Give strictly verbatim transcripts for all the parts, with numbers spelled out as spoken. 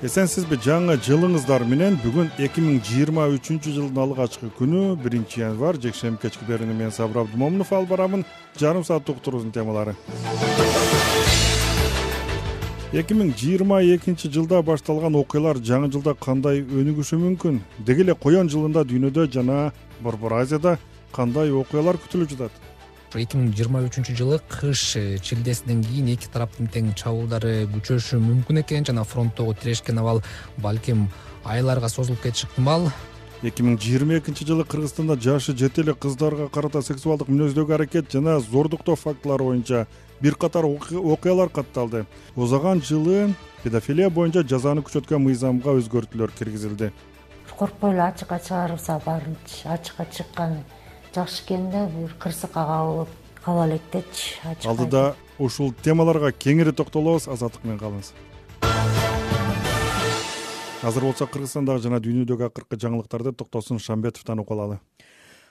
Эсенсизби, жаңы жылыңыздар менен. Бүгүн эки миң жыйырма үчүнчү жылдын алгачкы күнү, биринчи январь, жекшемби кечки берүүнү мен Сабыр Абдымомунов алып барамын. Жарым саат уктуруубуздун темалары. эки миң жыйырма экинчи жылда башталган окуялар жаңы жылда кандай өнүгүшү мүмкүн? Деги эле коен жылында дүйнөдө жана Борбор Азияда кандай окуялар күтүлүп жатат? эки миң жыйырма үчүнчү жылы кыш чилдесинен кийин эки тараптын тең чабуулдары күчөшүшү мүмкүн экен жана фронттогу тирешкен абал балким айларга созулуп кетиши ыктымал. эки миң жыйырма экинчи жылы Кыргызстанда жашы жете эле кыздарга карата сексуалдык мүнөздөгү аракет жана зордуктоо фактылары боюнча бир катар окуялар катталды. Озаган жылы педофилия боюнча жазаны күчөткөн мыйзамга өзгөртүүлөр киргизилди. Коркпой эле ачыкка чыгарылса, барынча ачыкка чыккан жакшы экен да, бир кырсыкка кабылып кала электечи. Алдыда ушул темаларга кеңири токтолобуз. Азаттык менен калыңыз. Азыр болсо Кыргызстандагы жана дүйнөдөгү акыркы жаңылыктарды Токтосун Шамбетовдон угуп алалы.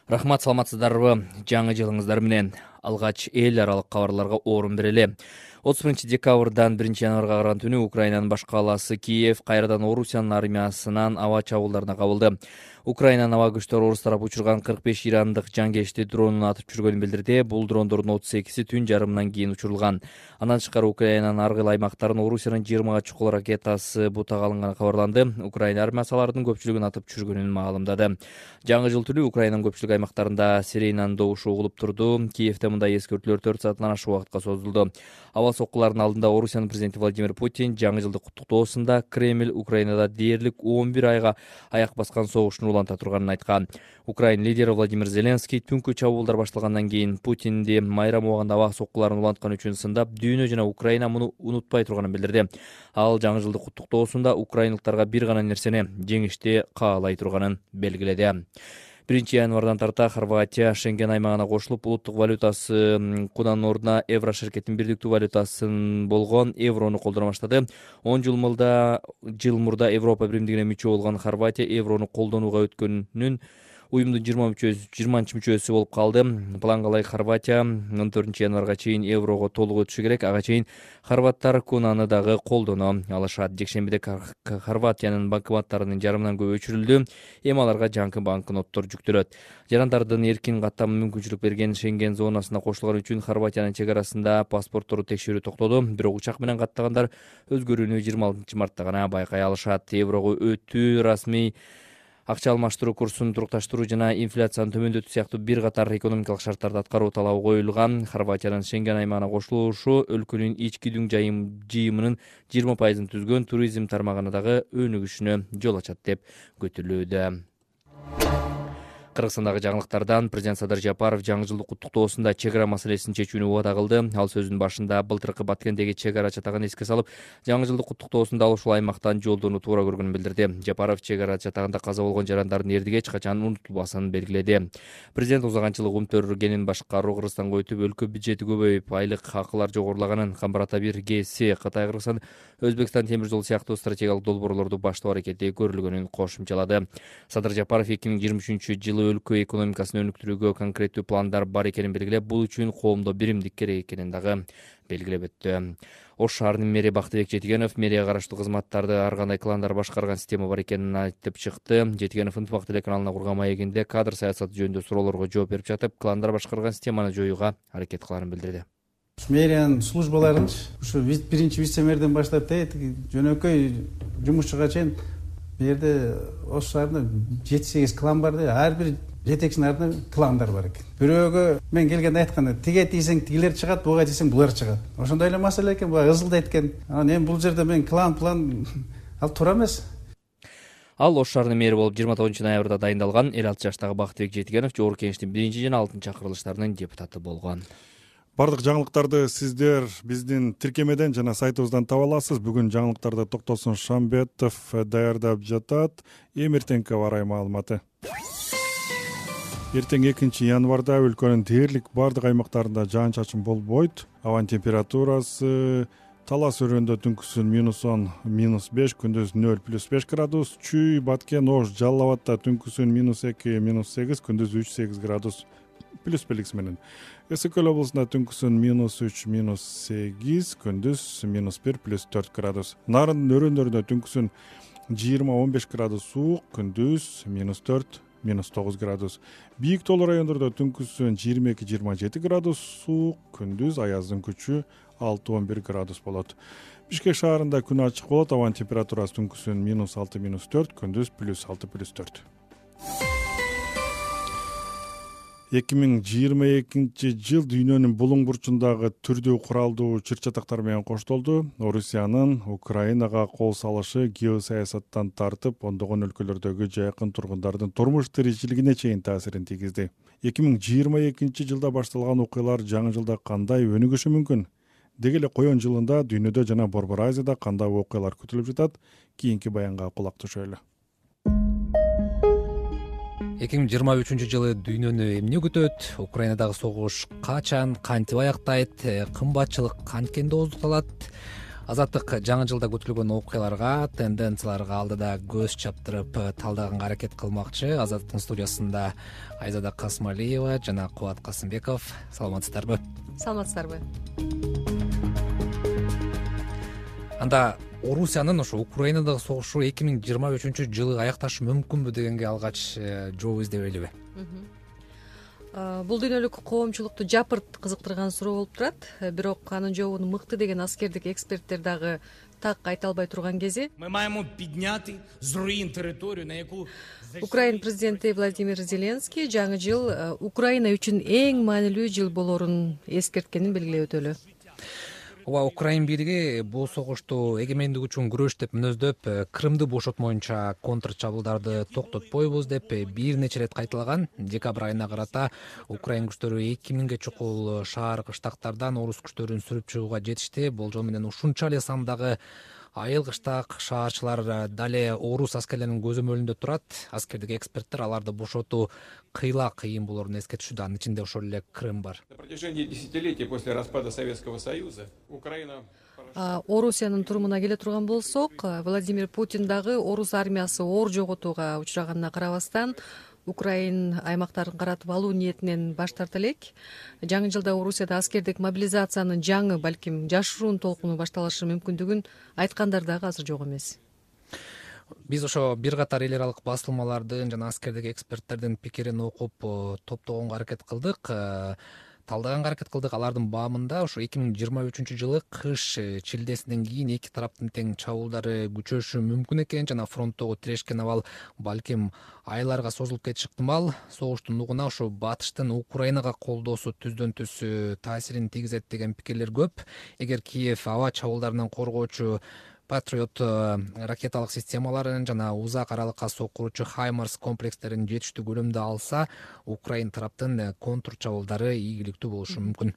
Рахмат, саламатсыздарбы? Жаңы жылыңыздар менен. Алгач эл аралык кабарларга орун берели. отуз биринчи декабрдан биринчи январга караган түнү Украинанын баш калаасы Киев кайрадан Орусиянын армиясынан аба чабуулдарына кабылды. Украинанын аба күчтөрү орус тарапы учурган кырк беш ирандык жангечти дронун атып түшүргөнүн билдирди. Бул дрондордун отуз экиси түн жарымынан кийин учурулган. Андан тышкары Украинанын ар кайсы аймактарын Орусиянын жыйырмага чукул ракетасы бутага алынганы кабарланды. Украина армиясы алардын көпчүлүгүн атып түшүргөнүн маалымдады. Жаңы жыл түнү Украинанын көпчүлүк аймактарында сиренанын добушу угулуп турду. Киевде мындай эскертүүлөр төрт сааттан ашык убакытка созулду. Аба соккулардын алдында Орусиянын президенти Владимир Путин жаңы жылдык куттуктоосунда Кремль Украинада дээрлик он бир айга аяк баскан согуштун уланта турганын айткан. Украина лидери Владимир Зеленский түнкү чабуулдар башталгандан кийин Путинди майрам убагында аба соккуларын уланткан үчүн сындап, дүйнө жана Украина муну унутпай турганын билдирди. Ал жаңы жылдык куттуктоосунда украиналыктарга бир гана нерсени — жеңишти каалай турганын белгиледи. биринчи январдан тарта Хорватия Шенген аймагына кошулуп, улуттук валютасы кунанын ордуна евро шеркеттин бирдиктүү валютасын болгон еврону колдоно баштады. он жыл мурда жыл мурда Европа биримдигине мүчө болгон Хорватия еврону колдонууга өткөнүн уюмдун жыйырманчы мүчөсү болуп калды. Планга ылайык Хорватия он төртүнчү январга чейин еврого толук өтүшү керек. Ага чейин хорваттар кунаны дагы колдоно алышат. Жекшембиде Хорватиянын банкоматтарынын жарымынан көбү өчүрүлдү. Эми аларга жаңы банкноттор жүктөлөт. Жарандардын эркин каттамына мүмкүнчүлүк берген Шенген зонасына кошулган үчүн Хорватиянын чек арасында паспортторду текшерүү токтоду. Бирок учак менен каттагандар өзгөрүүнү жыйырма алтынчы мартта гана байкай алышат. Еврого өтүү, расмий акча алмаштыруу курсун турукташтыруу жана инфляцияны төмөндөтүү сыяктуу бир катар экономикалык шарттарды аткаруу талабы коюлган. Хорватиянын Шенген аймагына кошулушу өлкөнүн ички дүң жыйымынын жыйырма пайызын түзгөн туризм тармагына дагы өнүгүшүнө жол ачат деп күтүлүүдө. Кыргызстандагы жаңылыктардан президент Садыр Жапаров жаңы жылдык куттуктоосунда чек ара маселесин чечүүнү убада кылды. Ал сөзүнүн башында былтыркы Баткендеги чек ара чатагын эске салып, жаңы жылдык куттуктоосунда ал ушул аймактан жолдоону туура көргөнүн билдирди. Жапаров чек ара чатагында каза болгон жарандардын эрдиги эч качан унутулбасын белгиледи. Президент узагынчылык умтөргенин башкаруу Кыргызстанга өтүп, өлкө бюджети көбөйүп, айлык акылар жогорулаганын, Камбар-Ата бир ГЭСи, Кытай, Кыргызстан, Өзбекстан темир жол сыяктуу стратегиялык долбоорлорду баштоо аракети көрүлгөнүн кошумчалады. Садыр Жапаров эки миң жыйырма үчүнчү жылы өлкө экономикасын өнүктүрүүгө конкреттүү пландар бар экенин белгилеп, бул үчүн коомдо биримдик керек экенин дагы белгилеп өттү. Ош шаарынын мэри Бактыбек Жетигенов мэрияга караштуу кызматтарды ар кандай кландар башкарган система бар экенин айтып чыкты. Жетигенов Ынтымак телеканалына курган маегинде кадр саясаты жөнүндө суроолорго жооп берип жатып, кландар башкарган системаны жоюуга аракет кыларын билдирди. Мэриянын службаларын ушу биринчи вице-мэрден баштап жөнөкөй жумушчуга чейин бу жерде Ош шаарында жети сегиз клан бар да, ар бир жетекчинин артында кландар бар экен. Бирөөгө мен келгенде айтканда, тиге тийсең тигилер чыгат, буга тийсең булар чыгат. Ошондой эле маселе экен, буга ызылдайт экен. Анан эми бул жерде мен клан план ал туура эмес. Ал Ош шаарынын мэри болуп жыйырма тогузунчу ноябрда дайындалган. элүү алты жаштагы Бактыбек Жетигенов Жогорку Кеңештин биринчи жана алтынчы чакырылыштарынын депутаты болгон. Бардык жаңылыктарды сиздер биздин тиркемеден жана сайтыбыздан таба аласыз. Бүгүн жаңылыктарды Токтосун Шамбетов даярдап жатат. Эми эртеңки аба ырайы маалыматы. Эртең экинчи январда өлкөнүн дээрлик бардык аймактарында жаан-чачын болбойт. Абанын температурасы Талас өрөөндө түнкүсүн минус он, минус беш, күндүз нөл плюс беш градус. Чүй, Баткен, Ош, Жалал абадда түнкүсүн минус эки, минус сегиз, күндүз үч сегиз градус плюс белгиси менен. Эсең көл облусунда түнкүсүн минус үч, минус сегиз, күндүз минус бир, плюс төрт градус. Нарындын өрөөндөрүндө түнкүсүн жыйырма он беш градус суук, күндүз минус төрт, минус тогуз градус. Бийик тоолуу райондордо түнкүсүн жыйырма эки жыйырма жети градус суук, күндүз аяздын күчү алты он бир градус болот. Бишкек шаарында күн ачык болот, абанын температурасы түнкүсүн минус алты, минус төрт, күндүз плюс алты, плюс төрт. эки миң жыйырма экинчи жыл дүйнөнүн булуң бурчундагы түрдүү куралдуу чыр-чатактар менен коштолду. Орусиянын Украинага кол салышы геосаясаттан тартып, ондогон өлкөлөрдөгү жайкын тургундардын турмуш тиричилигине чейин таасирин тийгизди. эки миң жыйырма экинчи жылда башталган окуялар жаңы жылда кандай өнүгүшү мүмкүн? Деги эле коен жылында дүйнөдө жана Борбор Азияда кандай окуялар күтүлүп жатат? Кийинки баянга кулак түшөлү. эки миң жыйырма үчүнчү жылы дүйнөнү эмне күтөт? Украинадагы согуш качан, кантип аяктайт? Кымбатчылык канткенде ооздукталат? Азаттык жаңы жылда күтүлгөн окуяларга, тенденцияларга алдыда көз чаптырып талдаганга аракет кылмакчы. Азаттыктын студиясында Айзада Касмалиева жана Кубат Касымбеков. Саламатсыздарбы? Саламатсыздарбы? Анда Орусиянын ошо Украинадагы согушу эки миң жыйырма үчүнчү жылы аякташы мүмкүнбү дегенге алгач жооп издебейлиби? Бул дүйнөлүк коомчулукту жапырт кызыктырган суроо болуп турат. Бирок анын жообун мыкты деген аскердик эксперттер дагы так айта албай турган кези. Ми маємо підняти з руїн територію, на яку Украин президенти Владимир Зеленский жаңы жыл Украина үчүн эң маанилүү жыл болорун эскерткенин белгилеп өтөлү. Ооба, Украин бийлиги бул согушту эгемендик үчүн күрөш деп мүнөздөп, Крымды бошотмоюнча контр чабуулдарды токтотпойбуз деп бир нече ирет кайталаган. Декабрь айына карата Украин күчтөрү эки миңге чукул шаар кыштактардан орус күчтөрүн сүрүп чыгууга жетишти. Болжол менен ушунча эле сандагы айыл кыштак шаарчылар дале орус аскерлеринин көзөмөлүндө турат. Аскердик эксперттер аларды бошотуу кыйла кыйын болоорун эскертишүүдө. Анын ичинде ошол эле Крым бар. На протяжении десятилетий после распада Советского Союза Украина Орусиянын турумуна келе турган болсок, Владимир Путин дагы орус армиясы оор жоготууга учраганына карабастан Украин аймактарын каратып алуу ниетинен баш тарта элек. Жаңы жылда Орусияда аскердик мобилизациянын жаңы, балким жашыруун толкуну башталышы мүмкүндүгүн айткандар дагы азыр жок эмес. Биз ошо бир катар эл аралык басылмалардын жана аскердик эксперттердин пикирин окуп топтогонго аракет кылдык. Талдаганга аракет кылдык. Алардын баамында ошо эки миң жыйырма үчүнчү жылы кыш чилдесинен кийин эки тараптын тең чабуулдары күчөшү мүмкүн экен жана фронттогу тирешкен абал балким айларга созулуп кетиши ыктымал. Согуштун нугуна ошо батыштын Украинага колдоосу түздөн түз таасирин тийгизет деген пикирлер көп. Эгер Киев аба чабуулдарынан коргоочу Патриот ракеталык системаларын жана узак аралыкка соккуручу Хаймарс комплекстерин жетиштүү көлөмдө алса, Украин тараптын контр чабуулдары ийгиликтүү болушу мүмкүн.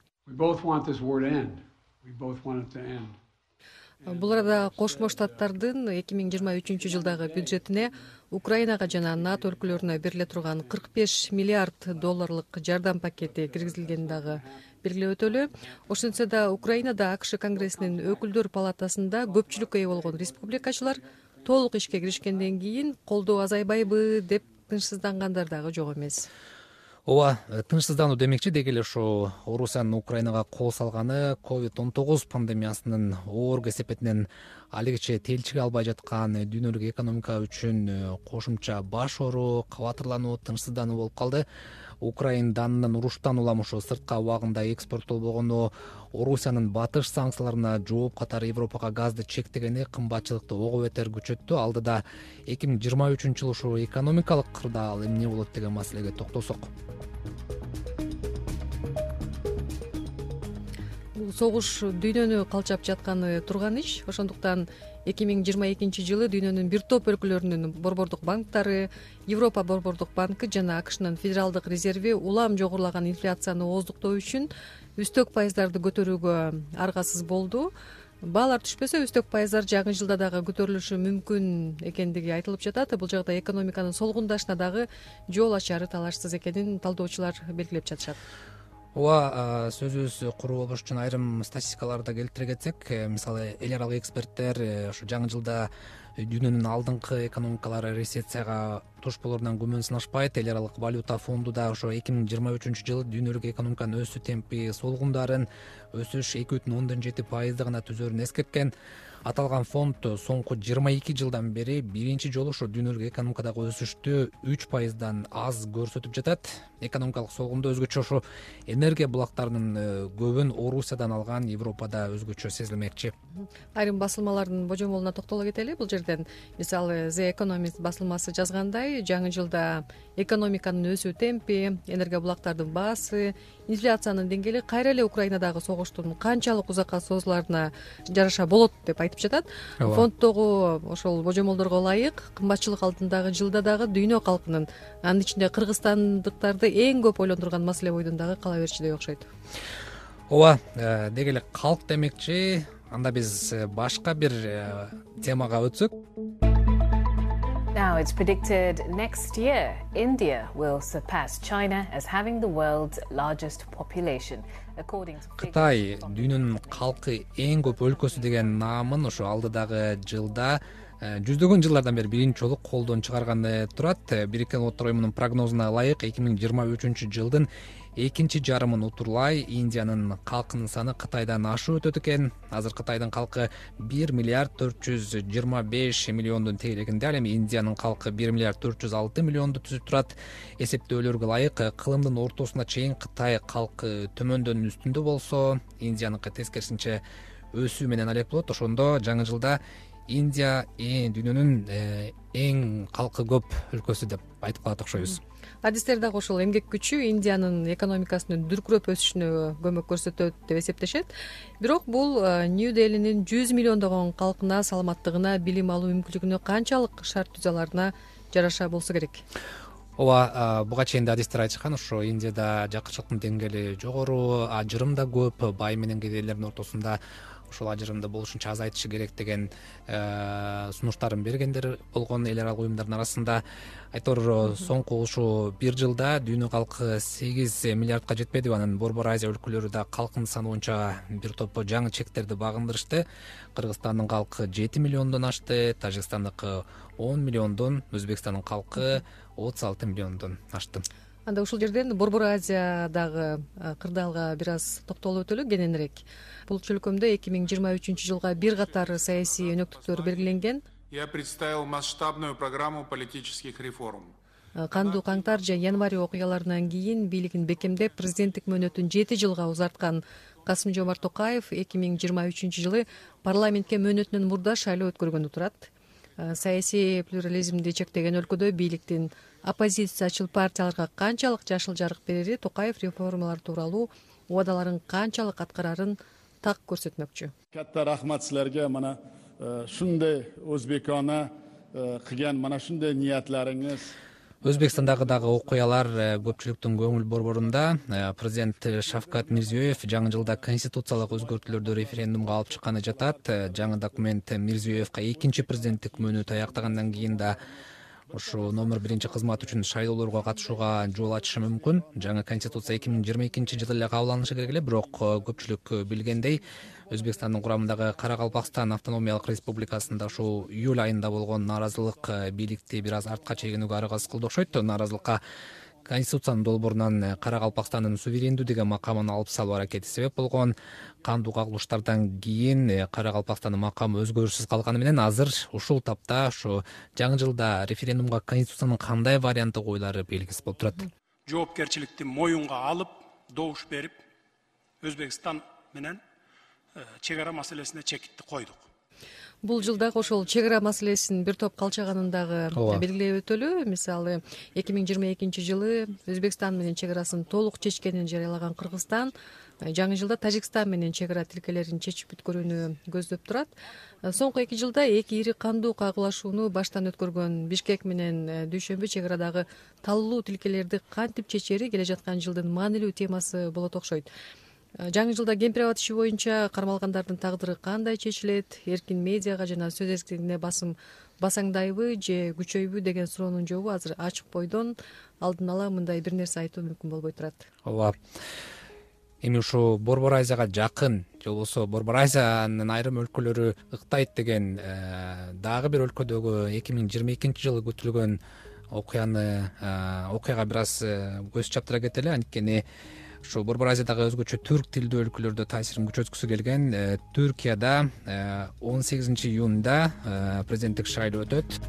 Бул арада Кошмо Штаттардын эки миң жыйырма үчүнчү жылдагы бюджетине Украинага жана НАТО өлкөлөрүнө бериле турган кырк беш миллиард долларлык жардам пакети киргизилгени дагы белгилеп өтөлү. Ошентсе да Украинада АКШ Конгрессинин өкүлдөр палатасында көпчүлүккө ээ болгон республикачылар толук ишке киришкенден кийин колдоо азайбайбы деп тынчсыздангандар дагы жок эмес. Ооба, тынчсыздануу демекчи, деги эле ошо Орусиянын Украинага кол салганы ковид он тогуз пандемиясынын оор кесепетинен алигиче телчиге албай жаткан дүйнөлүк экономика үчүн кошумча баш оору, кабатырлануу, тынчсыздануу болуп калды. Украин данынын уруштан улам ошо сыртка убагында экспорттолбогону, Орусиянын батыш санкцияларына жооп катары Европага газды чектегени кымбатчылыкты ого бетер күчөттү. Алдыда эки миң жыйырма үчүнчү жыл ушул экономикалык кырда ал эмне болот деген маселеге токтолсок. Бул согуш дүйнөнү калчап жатканы турган иш. Ошондуктан эки миң жыйырма экинчи жылы дүйнөнүн бир топ өлкөлөрүнүн борбордук банктары, Европа борбордук банкы жана АКШнын федералдык резерви улам жогорулаган инфляцияны ооздуктоо үчүн үстөк пайыздарды көтөрүүгө аргасыз болду. Баалар түшпөсө, үстөк пайыздар жаңы жылда дагы көтөрүлүшү мүмкүн экендиги айтылып жатат. Бул жагда экономиканын солгундашына дагы жол ачары талашсыз экенин талдоочулар белгилеп жатышат. Ооба, сөзүбүз куру болуш үчүн айрым статистикаларды келтире кетсек, мисалы эл аралык эксперттер ошо жаңы жылда дүйнөнүн алдыңкы экономикалары рецессияга туш болоруна күмөн сынашпайт. Эл аралык валюта фонду да ошо эки миң жыйырма үчүнчү жылы дүйнөлүк экономиканын өсүү темпи солгундарын, өсүш эки бүтүн ондон жети пайызды гана түзөрүн эскерткен. Аталган фонд соңку жыйырма эки жылдан бери биринчи жолу ошо дүйнөлүк экономикадагы өсүштү үч пайыздан аз көрсөтүп жатат. Экономикалык солгунду өзгөчө ошо энергия булактарынын көбүн Орусиядан алган Европада өзгөчө сезилмекчи. Айрым басылмалардын божомолуна токтоло кетели бул жерден. Мисалы The Economist басылмасы жазгандай, жаңы жылда экономиканын өсүү темпи, энергия булактардын баасы, инфляциянын деңгээли кайра эле Украинадагы согуштун канчалык узакка созуларына жараша болот деп айтып жатат. Фонддогу ошол божомолдорго ылайык кымбатчылык алдындагы жылда дагы дүйнө калкынын, анын ичинде кыргызстандыктарды эң көп ойлондурган маселе бойдон дагы кала берчүдөй окшойт. Ооба, деги эле калк демекчи. Анда биз башка бир темага өтсөк. Now it's predicted next year India will surpass China as having the world's largest population. Кытай дүйнөнүн калкы эң көп өлкөсү деген наамын ошо алдыдагы жылда жүздөгөн жылдардан бери биринчи жолу колдон чыгарганы турат. Бириккен Улуттар уюмунун прогнозуна ылайык эки миң жыйырма үчүнчү жылдын экинчи жарымын утурлай Индиянын калкынын саны Кытайдан ашып өтөт экен. Азыр Кытайдын калкы бир миллиард төрт жүз жыйырма беш миллиондун тегерегинде, ал эми Индиянын калкы бир миллиард төрт жүз алты миллионду түзүп турат. Эсептөөлөргө ылайык кылымдын ортосуна чейин Кытай калкы төмөндөн үстүндө болсо, Индияныкы тескерисинче өсүү менен алек болот. Ошондо жаңы жылда Индия дүйнөнүн эң калкы көп өлкөсү деп айтып калат окшойбуз. Адистер дагы ошол эмгек күчү Индиянын экономикасынын дүркүрөп өсүшүнө көмөк көрсөтөт деп эсептешет. Бирок бул Нью-Делинин жүз миллиондогон калкына, саламаттыгына, билим алуу мүмкүнчүлүгүнө канчалык шарт түзө аларына жараша болсо керек. Ооба, буга чейин да адистер айтышкан, ошо Индияда жакырчылыктын деңгээли жогору, ажырым да көп, бай менен кедейлердин ортосунда ошол ажырымды болушунча азайтышы керек деген сунуштарын бергендер болгон эл аралык уюмдардын арасында. Айтор соңку ушул бир жылда дүйнө калкы сегиз миллиардка жетпедиби? Анан Борбор Азия өлкөлөрү да калкынын саны боюнча бир топ жаңы чектерди багындырышты. Кыргызстандын калкы жети миллиондон ашты, Тажикстандыкы он миллиондон, Өзбекстандын калкы отуз алты миллиондон ашты. Анда ушул жерден Борбор Азиядагы кырдаалга бир аз токтолуп өтөлү кененирээк. Бул чөлкөмдө эки миң жыйырма үчүнчү жылга бир катар саясий өнөктүктөр белгиленген. Я представил масштабную программу политических реформ. Кандуу каңтар же январь окуяларынан кийин бийлигин бекемдеп, президенттик мөөнөтүн жети жылга узарткан Касым-Жомарт Токаев эки миң жыйырма үчүнчү жылы парламентке мөөнөтүнөн мурда шайлоо өткөргөндө турат. Саясий плюрализмди чектеген өлкөдө бийликтин оппозициячыл партияларга канчалык жашыл жарык берери, Токаев реформалар тууралуу убадаларын канчалык аткарарын так көрсөтмөкчү. Катта рахмат силерге, мана шундай өзбекона кылган мана шундай ниятларыңыз. Өзбекстандагы дагы окуялар көпчүлүктүн көңүл борборунда. Президент Шавкат Мирзиёев жаңы жылда конституциялык өзгөртүүлөрдү референдумга алып чыкканы жатат. Жаңы документ Мирзиёевго экинчи президенттик мөөнөтү аяктагандан кийин да ушу номер биринчи кызмат үчүн шайлоолорго катышууга жол ачышы мүмкүн. Жаңы конституция эки миң жыйырма экинчи жылы эле кабылданышы керек эле, бирок көпчүлүк билгендей, Өзбекстандын курамындагы Каракалпакстан автономиялык республикасында ушул июль айында болгон нааразылык бийликти бир аз артка чегинүүгө аракет кылды окшойт. Нааразылыкка Конституциянын долбоорунан Каракалпакстандын суверендүү деген макамын алып салуу аракети себеп болгон. Кандуу кагылыштардан кийин Каракалпакстандын макамы өзгөрүшсүз калганы менен азыр ушул тапта ушу жаңы жылда референдумга Конституциянын кандай варианты коюлары белгисиз болуп турат. Жоопкерчиликти моюнга алып, добуш берип, Өзбекстан менен чек ара маселесине чекитти койдук. Бул жылдагы ошол чек ара маселесинин бир топ калчаганын дагы белгилеп өтөлү. Мисалы, эки миң жыйырма экинчи жылы Өзбекстан менен чек арасын толук чечкенин жарыялаган Кыргызстан жаңы жылда Тажикстан менен чек ара тилкелерин чечип бүткөрүүнү көздөп турат. Соңку эки жылда эки ири кандуу кагылашууну баштан өткөргөн Бишкек менен Дүйшөмбү чек арадагы таллуу тилкелерди кантип чечери келе жаткан жылдын маанилүү темасы болот окшойт. Жаңы жылда кемпир-абад иши боюнча кармалгандардын тагдыры кандай чечилет, эркин медиага жана сөз эркиндигине басым басаңдайбы же күчөйбү деген суроонун жообу азыр ачык бойдон алдын ала мындай бир нерсе айтуу мүмкүн болбой турат. Ооба. Эми ушу Борбор Азияга жакын же болбосо Борбор Азиянын айрым өлкөлөрү ыктайт деген дагы бир өлкөдөгү эки миң жыйырма экинчи жылы күтүлгөн окуяны окуяга бир аз көз чаптыра кетели, анткени ушу Борбор Азиядагы өзгөчө түрк тилдүү өлкөлөрдө таасирин күчөткүсү келген Түркияда он сегизинчи июнда президенттик шайлоо өтөт.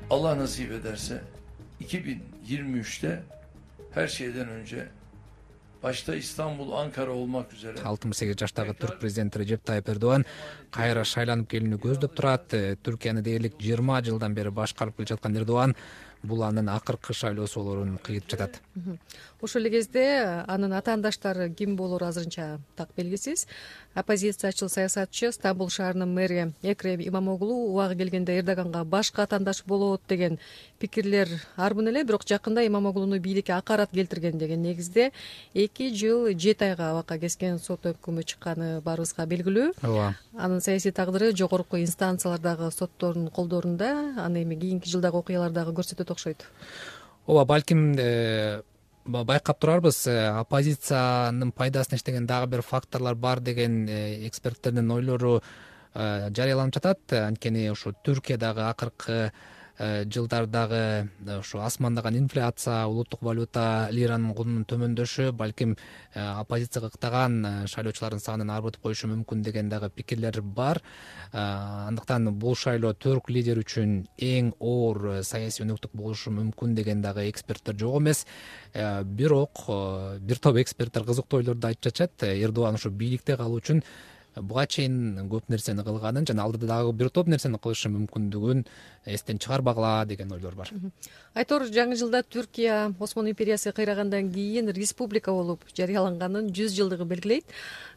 Allah nasip ederse iki bin yirmi üçte her şeyden önce başta İstanbul, Ankara olmak üzere алтымыш сегиз жаштагы түрк президенти Режеп Тайып Эрдоган кайра шайланып келүүнү көздөп турат. Түркияны дээрлик жыйырма жылдан бери башкарып келе жаткан Эрдоган бул анын акыркы шайлоосу болоорун кыйып жатат. Ошол эле кезде анын атаандаштары ким болоору азырынча так белгисиз. Оппозициячыл саясатчы Стамбул шаарынын мэри Экрем Имамоглу убагы келгенде Эрдоганга башка атаандаш болот деген пикирлер арбын эле, бирок жакында Имамоглуну бийликке акарат келтирген деген негизде эки жыл жети айга абакка кескен сот өкүмү чыкканы баарыбызга белгилүү. Ооба. Анын саясий тагдыры жогорку инстанциялардагы соттордун колдорунда, аны эми кийинки жылдагы окуялардагы көрсөтөт окшойт. Ооба, балким байкап турарбыз, оппозициянын пайдасына иштеген дагы бир факторлор бар деген эксперттердин ойлору жарыяланып жатат. Анткени ушу Түркиядагы акыркы жылдардагы ушу асмандаган инфляция, улуттук валюта, лиранын кунунун төмөндөшү балким оппозицияга ыктаган шайлоочулардын санын арбытып коюшу мүмкүн деген дагы пикирлер бар. Андыктан бул шайлоо түрк лидери үчүн эң оор саясий өнөктүк болушу мүмкүн деген дагы эксперттер жок эмес. Бирок бир топ эксперттер кызыктуу ойлорду айтып жатышат. Эрдоган ушу бийликте калуу үчүн буга чейин көп нерсени кылганын жана алдыда дагы бир топ нерсени кылышы мүмкүндүгүн эстен чыгарбагыла деген ойлор бар. Айтор, жаңы жылда Түркия Осман империясы кыйрагандан кийин республика болуп жарыяланганын жүз жылдыгы белгилейт.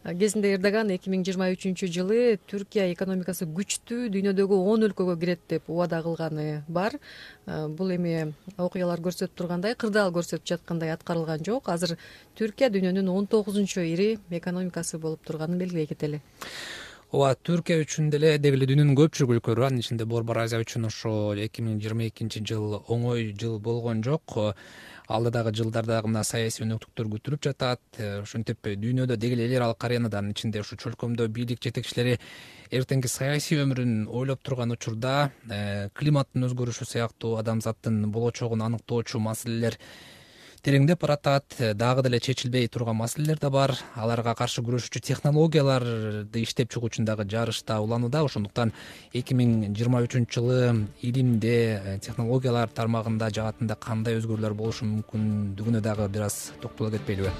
Кезинде Эрдоган эки миң жыйырма үчүнчү жылы Түркия экономикасы күчтүү, дүйнөдөгү он өлкөгө кирет деп убада кылганы бар. Бул эми окуялар көрсөтүп тургандай, кырдаал көрсөтүп жаткандай аткарылган жок. Азыр Түркия дүйнөнүн он тогузунчу ири экономикасы болуп турганын белгилей кетели. Ооба, Түркия үчүн деле деги эле дүйнөнүн көпчүлүк өлкөлөрү, анын ичинде Борбор Азия үчүн ошо эки миң жыйырма экинчи жыл оңой жыл болгон жок. Алдыдагы жылдардагы мына саясий өнөктүктөр күтүлүп жатат. Ошентип дүйнөдө деги эле эл аралык аренадан, ичинде ушу чөлкөмдө бийлик жетекчилери эртеңки саясий өмүрүн ойлоп турган учурда климаттын өзгөрүшү сыяктуу адамзаттын болочогун аныктоочу маселелер тереңдеп баратат. Дагы деле чечилбей турган маселелер да бар. Аларга каршы күрөшүүчү технологияларды иштеп чыгуу үчүн дагы жарышта уланууда. Ошондуктан эки миң жыйырма үчүнчү жылы илимде, технологиялар тармагында, жаатында кандай өзгөрүүлөр болушу мүмкүндүгүнө дагы бир аз токтоло кетпейлиби?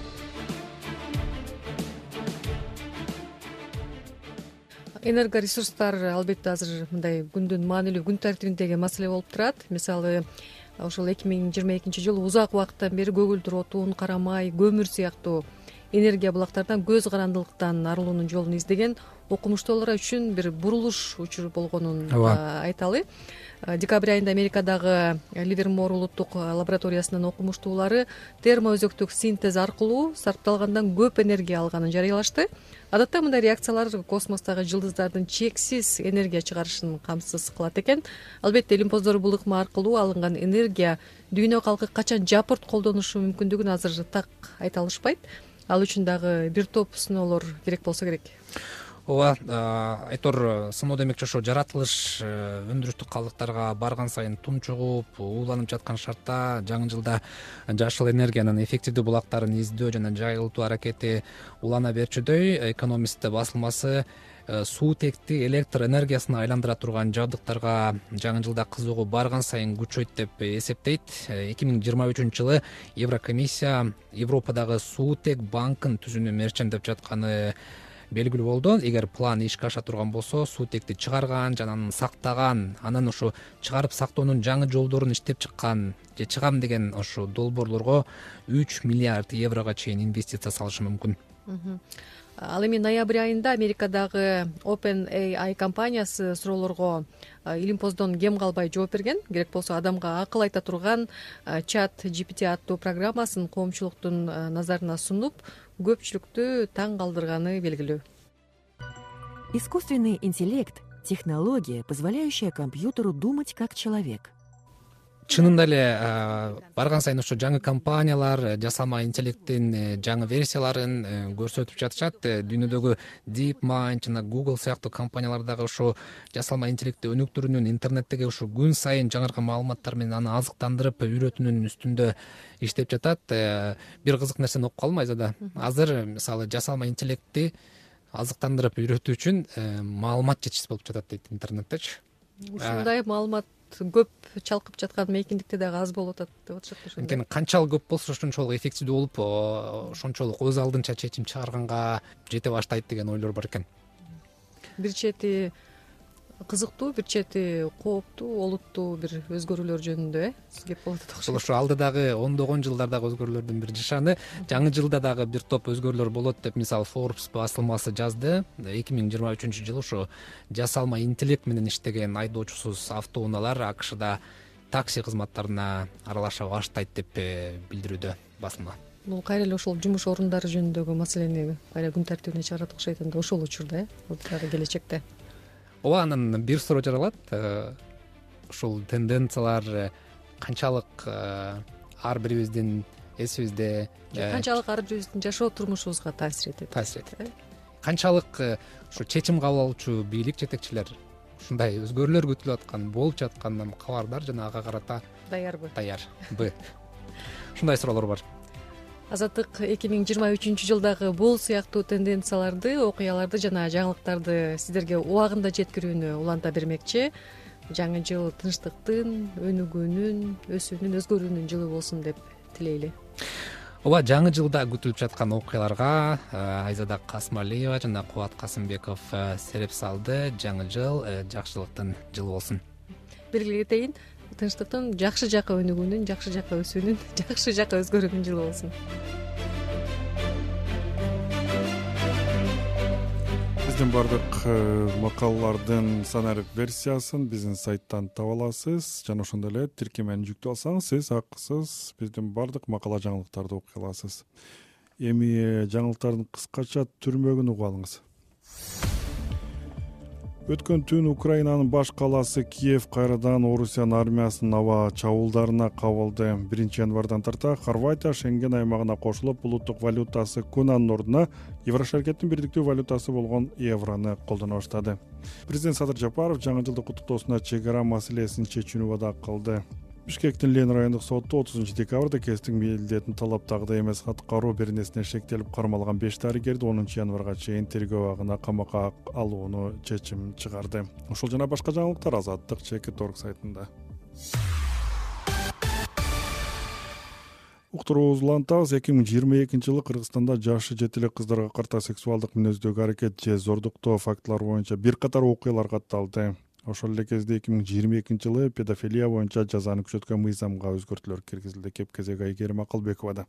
Энергоресурстар албетте азыр мындай күндүн маанилүү күн тартибиндеги маселе болуп турат. Мисалы, ошол эки миң жыйырма экинчи жылы узак убакыттан бери көгүлдүр отун, кара май, көмүр сыяктуу энергия булактардан көз карандылыктан арылуунун жолун издеген окумуштуулар үчүн бир бурулуш учур болгонун айталы. Декабрь айында Америкадагы Ливермор улуттук лабораториясынын окумуштуулары термоөзөктүк синтез аркылуу сарпталгандан көп энергия алганын жарыялашты. Адатта мындай реакциялар космостогу жылдыздардын чексиз энергия чыгарышын камсыз кылат экен. Албетте илимпоздор бул ыкма аркылуу алынган энергия дүйнө калкы качан жапырт колдонушу мүмкүндүгүн азыр так айта алышпайт. Ал үчүн дагы бир топ сыноолор керек болсо керек. Ооба, Айтор, сыноо демекчи ошо жаратылыш өндүрүштүк калдыктарга барган сайын тунчугуп, ууланып жаткан шартта жаңы жылда жашыл энергиянын эффективдүү булактарын издөө жана жайылтуу аракети улана берчүдөй. Экономист басылмасы суутекти электр энергиясына айландыра турган жабдыктарга жаңы жылда кызыгуу барган сайын күчөйт деп эсептейт. эки миң жыйырма үчүнчү жылы Еврокомиссия Европадагы суутек банкын түзүүнү мерчендеп жатканы белгилүү болду. Эгер план ишке аша турган болсо, суутекти чыгарган жана анын сактаган, анан ошо чыгарып сактоонун жаңы жолдорун иштеп чыккан же чыгам деген ошо долбоорлорго үч миллиард еврого чейин инвестиция салышы мүмкүн. Ал эми ноябрь айында Америкадагы OpenAI компаниясы суроолорго илимпоздон кем калбай жооп берген. Керек болсо адамга акыл айта турган чат джи пи ти аттуу программасын коомчулуктун назарына сунуп, көпчүлүктү таң калтырганы белгилүү. Искусственный интеллект — технология, позволяющая компьютеру думать как человек. чынында эле барган сайын ошо жаңы компаниялар жасалма интеллекттин жаңы версияларын көрсөтүп жатышат. Дүйнөдөгү DeepMind жана Google сыяктуу компаниялар дагы ошо жасалма интеллектти өнүктүрүүнүн, интернеттеги ошо күн сайын жаңыркы маалыматтар менен аны азыктандырып үйрөтүүнүн үстүндө иштеп жатат. Бир кызык нерсени окуп калдым Айзада. Азыр мисалы жасалма интеллектти азыктандырып үйрөтүү үчүн маалымат жетишсиз болуп жатат дейт интернеттечи. Ушундай маалымат көп чалкып жаткан мейкиндикте дагы аз болуп атат деп атышат ошондо. Анткени канчалык көп болсо ошончолук эффективдүү болуп, ошончолук өз алдынча чечим чыгарганга жете баштайт деген ойлор бар экен. Бир чети кызыктуу, бир чети кооптуу, олуттуу бир өзгөрүүлөр жөнүндө э кеп болот да окшойт. Ошо алды дагы ондогон жылдардагы өзгөрүүлөрдүн бир жышаны. Жаңы жылда дагы бир топ өзгөрүүлөр болот деп мисалы Forbes басылмасы жазды. эки миң жыйырма үчүнчү жылы ошо жасалма интеллект менен иштеген айдоочусуз автоунаалар АКШда такси кызматтарына аралаша баштайт деп билдирүүдө басылма. Бул кайра эле ошол жумуш орундары жөнүндөгү маселени кайра күн тартибине чыгарат окшойт энд ошол учурда э дагы келечекте. Ооба, анан бир суроо жаралат. Ушул тенденциялар канчалык ар бирибиздин эсибизде, канчалык ар бирибиздин жашоо турмушубузга таасир этет? Таасир этет. Канчалык ушу чечим кабыл алуучу бийлик жетекчилер ушундай өзгөрүүлөр күтүлүп аткан, болуп жатканынан кабардар жана ага карата даярбы? Даярбы? Ушундай суроолор бар. Азаттык эки миң жыйырма үчүнчү жылдагы бул сыяктуу тенденцияларды, окуяларды жана жаңылыктарды сиздерге убагында жеткирүүнү уланта бермекчи. Жаңы жыл тынчтыктын, өнүгүүнүн, өсүүнүн, өзгөрүүнүн жылы болсун деп тилейли. Ооба, жаңы жылда күтүлүп жаткан окуяларга Айзада Касмалиева жана Кубат Касымбеков сереп салды. Жаңы жыл жакшылыктын жылы болсун. Белгилей кетейин, тынчтыктын, жакшы жака өнүгүүнүн, жакшы жака өсүүнүн, жакшы жака өзгөрүүнүн жылы болсун. Биздин бардык макалалардын санарип версиясын биздин сайттан таба аласыз жана ошондой эле тиркемени жүктөп алсаңыз сиз акысыз биздин бардык макала жаңылыктарды окуй аласыз. Эми жаңылыктардын кыскача түрмөгүн угуп алыңыз. Өткөн түн Украинанын баш калаасы Киев кайрадан Орусиянын армиясынын аба чабуулдарына кабылды. биринчи январдан тарта Хорватия Шенген аймагына кошулуп, улуттук валютасы кунанын ордуна Еврошаркеттин бирдиктүү валютасы болгон еврону колдоно баштады. Президент Садыр Жапаров жаңы жылдык куттуктоосунда чек ара маселесин чечүүнү вада кылды. Бишкектин Лен райондук соту отузунчу декабрда кесиптик милдетин талаптагыдай эмес аткаруу беренесине шектелип кармалган беш дарыгерди онунчу январга чейин тергөө абагына камакка алууну чечим чыгарды. Ушул жана башка жаңылыктар Азаттык чекит точка орг сайтында. Уктуруубузду улантабыз. эки миң жыйырма экинчи жылы Кыргызстанда жашы жете эле кыздарга карата сексуалдык мүнөздөгү аракет же зордуктоо фактылары боюнча бир катар окуялар катталды. Ошол эле кезде эки миң жыйырма экинчи жылы педофилия боюнча жазаны күчөткөн мыйзамга өзгөртүүлөр киргизилди. Кеп кезеги Айгерим Акылбековада.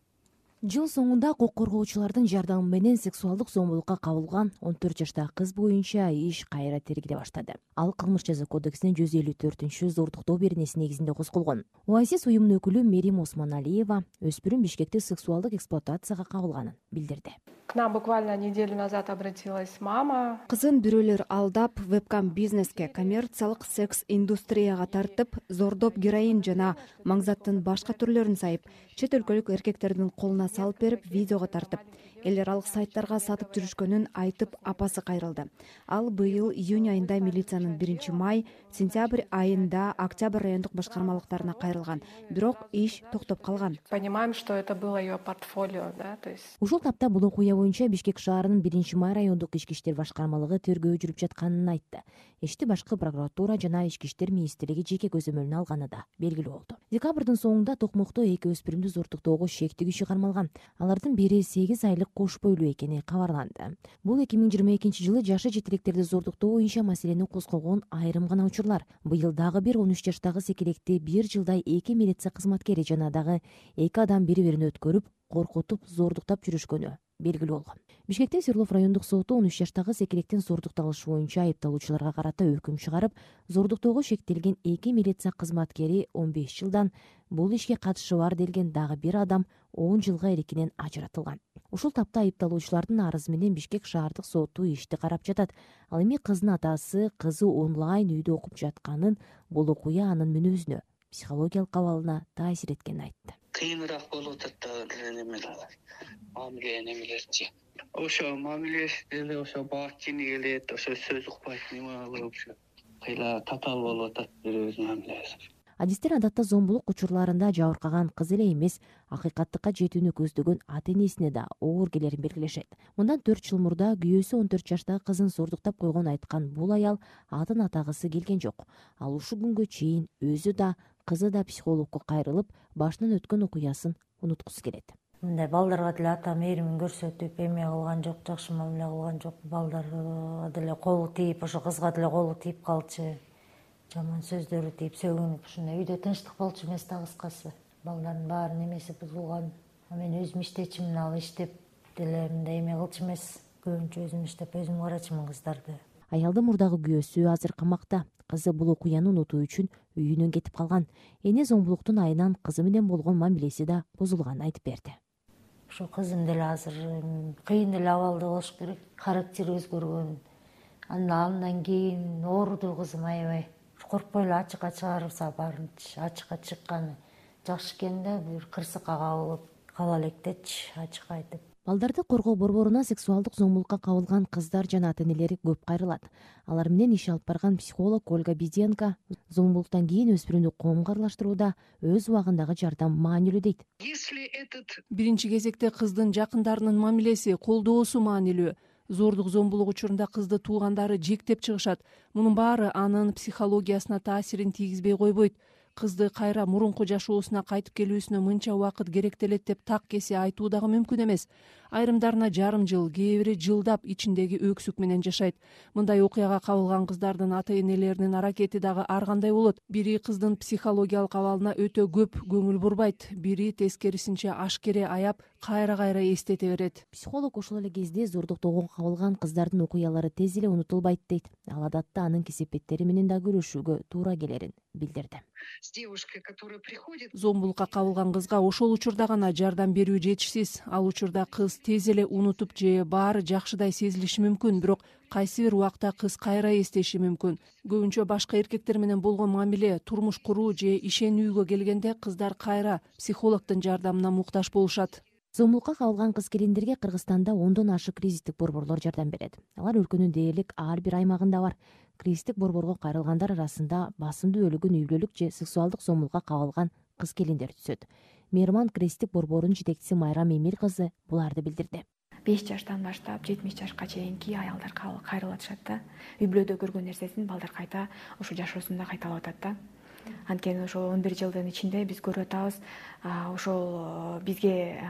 Жыл соңунда укук коргоочулардын жардамы менен сексуалдык зомбулукка кабылган он төрт жаштагы кыз боюнча иш кайра тергеле баштады. Ал кылмыш жаза кодексинин жүз элүү төртүнчү зордуктоо беренеси негизинде козголгон. Оазис уюмунун өкүлү Мерим Осмоналиева өспүрүм Бишкекте сексуалдык эксплуатацияга кабылганын билдирди. К нам буквально неделю назад обратилась мама. Кызын бирөөлөр алдап, вебкам бизнеске, коммерциялык секс индустрияга тартып, зордоп героин жана маңзаттын башка түрлөрүн сайып, чет өлкөлүк эркектердин колуна салып берип, видеого тартып, элер алык сайттарга сатып жүрүшкөнүн айтып, апасы кайрылды. Ал быйыл июнь айында милициянын биринчи май, сентябрь айында октябрь райондук башкармалыктарына кайрылган, бирок иш токтоп калган. Понимаем, что это было ее портфолио, да, то есть. Ушул тапта бул окуя боюнча Бишкек шаарынын биринчи май райондук ички иштер башкармалыгы тергөө жүрүп жатканын айтты. Ишти башкы прокуратура жана ички иштер министрлиги жеке көзөмөлүнө алганы да белгилүү болду. Декабрдын соңунда Токмокто эки өспүрүмдү зордуктоого шектүү күчү кармалган. Алардын бири сегиз айлык кош бойлуу экени кабарланды. Бул эки миң жыйырма экинчи жылы жашы жетелектерди зордуктоо боюнча маселени козгогон айрым гана учурлар. Быйыл дагы бир он үч жаштагы секелекти бир жылдай эки милиция кызматкери жана дагы эки адам бири-бирин өткөрүп, коркутуп, зордуктап жүрүшкөнү белгилүү болгон. Бишкектин Свердлов райондук соту он үч жаштагы секелектин зордукталышы боюнча айыпталуучуларга карата өкүм чыгарып, зордуктоого шектелген эки милиция кызматкери он беш жылдан, бул ишке катышы бар делген дагы бир адам он жылга эркинен ажыратылган. Ушул тапта айыпталуучулардын арызы менен Бишкек шаардык соту ишти карап жатат. Ал эми кыздын атасы кызы онлайн үйдө окуп жатканын, бул окуя анын мүнөзүнө психологиялык абалына таасир эткенин айтты. Кыйыныраак болуп атат дагы немелер, мамиле немелерчи. Ошо мамилеси деле ошо баак чини келет, ошо сөз укпайт неме кылып ошо кыйла татаал болуп атат бирөөбүздүн мамилебиз. Адистер адатта зомбулук учурларында жабыркаган кыз эле эмес, акыйкаттыкка жетүүнү көздөгөн ата энесине да оор келерин белгилешет. Мындан төрт жыл мурда күйөөсү он төрт жаштагы кызын зордуктап койгонун айткан бул аял атын атагысы келген жок. Ал ушул күнгө чейин өзү да, кызы да психологко кайрылып, башынан өткөн окуясын унуткусу келет. Мындай балдарга деле ата мээримин көрсөтүп, эме кылган жок, жакшы мамиле кылган жок. Балдарга деле колу тийип, ошо кызга деле колу тийип калчу. Жаман сөздөрү тийип, сөгүнүп, ушундай үйдө тынчтык болчу эмес да кыскасы. Балдардын баары немеси бузулган. Мен өзүм иштечимин, ал иштеп деле мындай эме кылчу эмес. Көбүнчө өзүм иштеп, өзүм карачымын кыздарды. Аялдын мурдагы күйөөсү азыр камакта. Кызы бул окуяны унутуу үчүн үйүнөн кетип калган. Эне зомбулуктун айынан кызы менен болгон мамилеси да бузулганын айтып берди. Ошо кызым деле азыр кыйын эле абалда болуш керек. Характери өзгөргөн. Андан кийин ооруду кызым аябай. Коркпой эле ачыкка чыгарса барынчы, ачыкка чыкканы жакшы экен да, бир кырсыкка кабылып кала электечи, ачык айтып. Балдарды коргоо борборунан сексуалдык зомбулукка кабылган кыздар жана ата энелери көп кайрылат. Алар менен иш алып барган психолог Ольга Беденко зомбулуктан кийин өспүрүмдү коомго аралаштырууда өз убагындагы жардам маанилүү дейт. Биринчи кезекте кыздын жакындарынын мамилеси, колдоосу маанилүү. Зордук зомбулук учурунда кызды туугандары жектеп чыгышат. Мунун баары анын психологиясына таасирин тийгизбей койбойт. Кызды кайра мурунку жашоосуна кайтып келүүсүнө мынча убакыт керектелет деп так кесе айтуу дагы мүмкүн эмес. Айрымдарына жарым жыл, кээ бири жылдап ичиндеги өксүк менен жашайт. Мындай окуяга кабылган кыздардын ата энелеринин аракети дагы ар кандай болот. Бири кыздын психологиялык абалына өтө көп көңүл бурбайт, бири тескерисинче ашкере аяп, кайра-кайра эстете берет. Психолог ошол эле кезде зордуктоого кабылган кыздардын окуялары тез эле унутулбайт дейт. Ал адатта анын кесепеттери менен да күрөшүүгө туура келерин билдирди. Зомбулукка кабылган кызга ошол учурда гана жардам берүү жетишсиз. Ал учурда кыз тез эле унутуп же баары жакшыдай сезилиши мүмкүн, бирок кайсы бир убакта кыз кайра эстеши мүмкүн. Көбүнчө башка эркектер менен болгон мамиле, турмуш куруу же ишенүүгө келгенде кыздар кайра психологдун жардамына муктаж болушат. Зомбулукка кабылган кыз келиндерге Кыргызстанда ондон ашык кризистик борборлор жардам берет. Алар өлкөнүн дээрлик ар бир аймагында бар. Кризистик борборго кайрылгандар арасында басымдуу бөлүгү үй бүлөлүк же сексуалдык зомбулукка кабылган кыз келиндер түзөт. Мейраман кризистик борборунун жетекчиси Майрам Эмил кызы буларды билдирди. беш жаштан баштап жетимиш жашка чейинки аялдар кайрылып атышат да. Үй бүлөдө көргөн нерсесин балдар кайта ошо жашоосунда кайталап атат да. Анткени ошол он бир жылдын ичинде биз көрүп атабыз, ошол бизге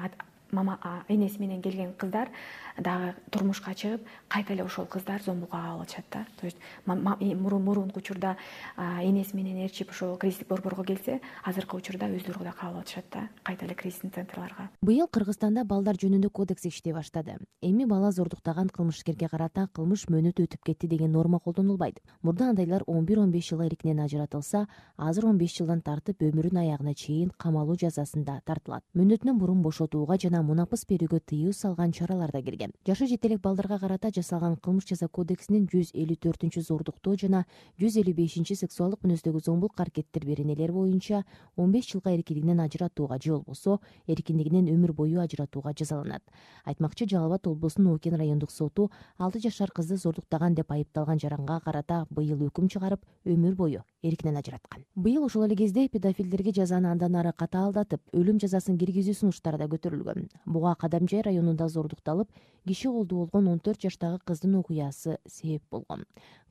мама энеси менен келген кыздар дагы турмушка чыгып, кайта эле ошол кыздар зомбулукка кабылып атышат да. То есть мурунку учурда энеси менен ээрчип ошол кризистик борборго келсе, азыркы учурда өздөрү да кабылып атышат да, кайта эле кризистик центрларга. Быйыл Кыргызстанда балдар жөнүндө кодекс иштей баштады. Эми бала зордуктаган кылмышкерге карата кылмыш мөөнөтү өтүп кетти деген норма колдонулбайт. Мурда андайлар он бир он беш жыл эркинен ажыратылса, азыр он беш жылдан тартып өмүрүнүн аягына чейин камалуу жазасында тартылат. Мөөнөтүнөн мурун бошотууга жана мунапыс берүүгө тыюу салган чаралар да кирген. Жашы жете элек балдарга карата жасалган кылмыш жаза кодексинин жүз элүү төртүнчү зордуктоо жана жүз элүү бешинчи сексуалдык мүнөздөгү зомбулук аракеттер беренелер боюнча он беш жылга эркиндигинен ажыратууга же болбосо эркиндигинен өмүр бою ажыратууга жазаланат. Айтмакчы, Жалал Абад облусунун Окен райондук соту алты жашар кызды зордуктаган деп айыпталган жаранга карата быйыл өкүм чыгарып, өмүр бою эркинен ажыраткан. Быйыл ошол эле кезде педофилдерге жазаны андан ары катаалдатып, өлүм жазасын киргизүү сунуштары да көтөрүлгөн. Буга Кадамжай районунда зордукталып, киши колдуу болгон он төрт жаштагы кыздын окуясы себеп болгон.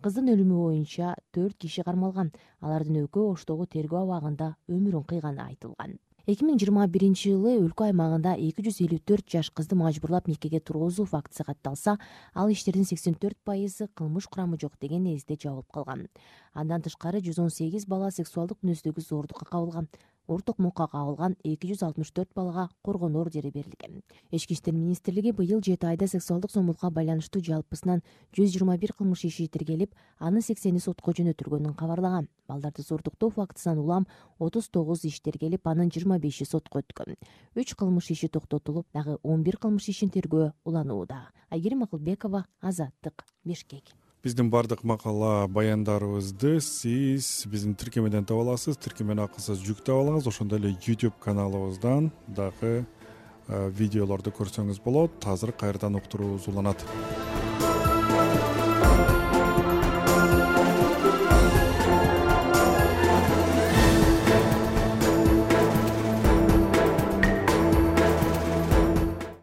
Кыздын өлүмү боюнча төрт киши кармалган. Алардын экөө Оштогу тергөө абагында өмүрүн кыйганы айтылган. эки миң жыйырма биринчи жылы өлкө аймагында эки жүз элүү төрт жаш кызды мажбурлап никеге тургузуу фактысы катталса, ал иштердин сексен төрт пайызы кылмыш курамы жок деген негизде жабылып калган. Андан тышкары жүз он сегиз бала сексуалдык мүнөздөгү зордукка кабылган. Ур токмокко кабылган эки жүз алтымыш төрт балага коргонуу ордери берилген. Ички иштер министрлиги быйыл жети айда сексуалдык зомбулукка байланыштуу жалпысынан жүз жыйырма бир кылмыш иши тиркелип, анын сексени сотко жөнөтүлгөнүн кабарлаган. Балдарды зордуктоо фактысынан улам отуз тогуз иш тиркелип, анын жыйырма беши сотко өткөн. үч кылмыш иши токтотулуп, дагы он бир кылмыш ишин тергөө уланууда. Айгерим Акылбекова, Азаттык, Бишкек. биздин баардык макала баяндарыбызды сиз биздин тиркемеден таба аласыз. Тиркемени акысыз жүктөп алыңыз. Ошондой эле YouTube каналыбыздан дагы видеолорду көрсөңүз болот. Азыр кайрадан уктуруубуз уланат.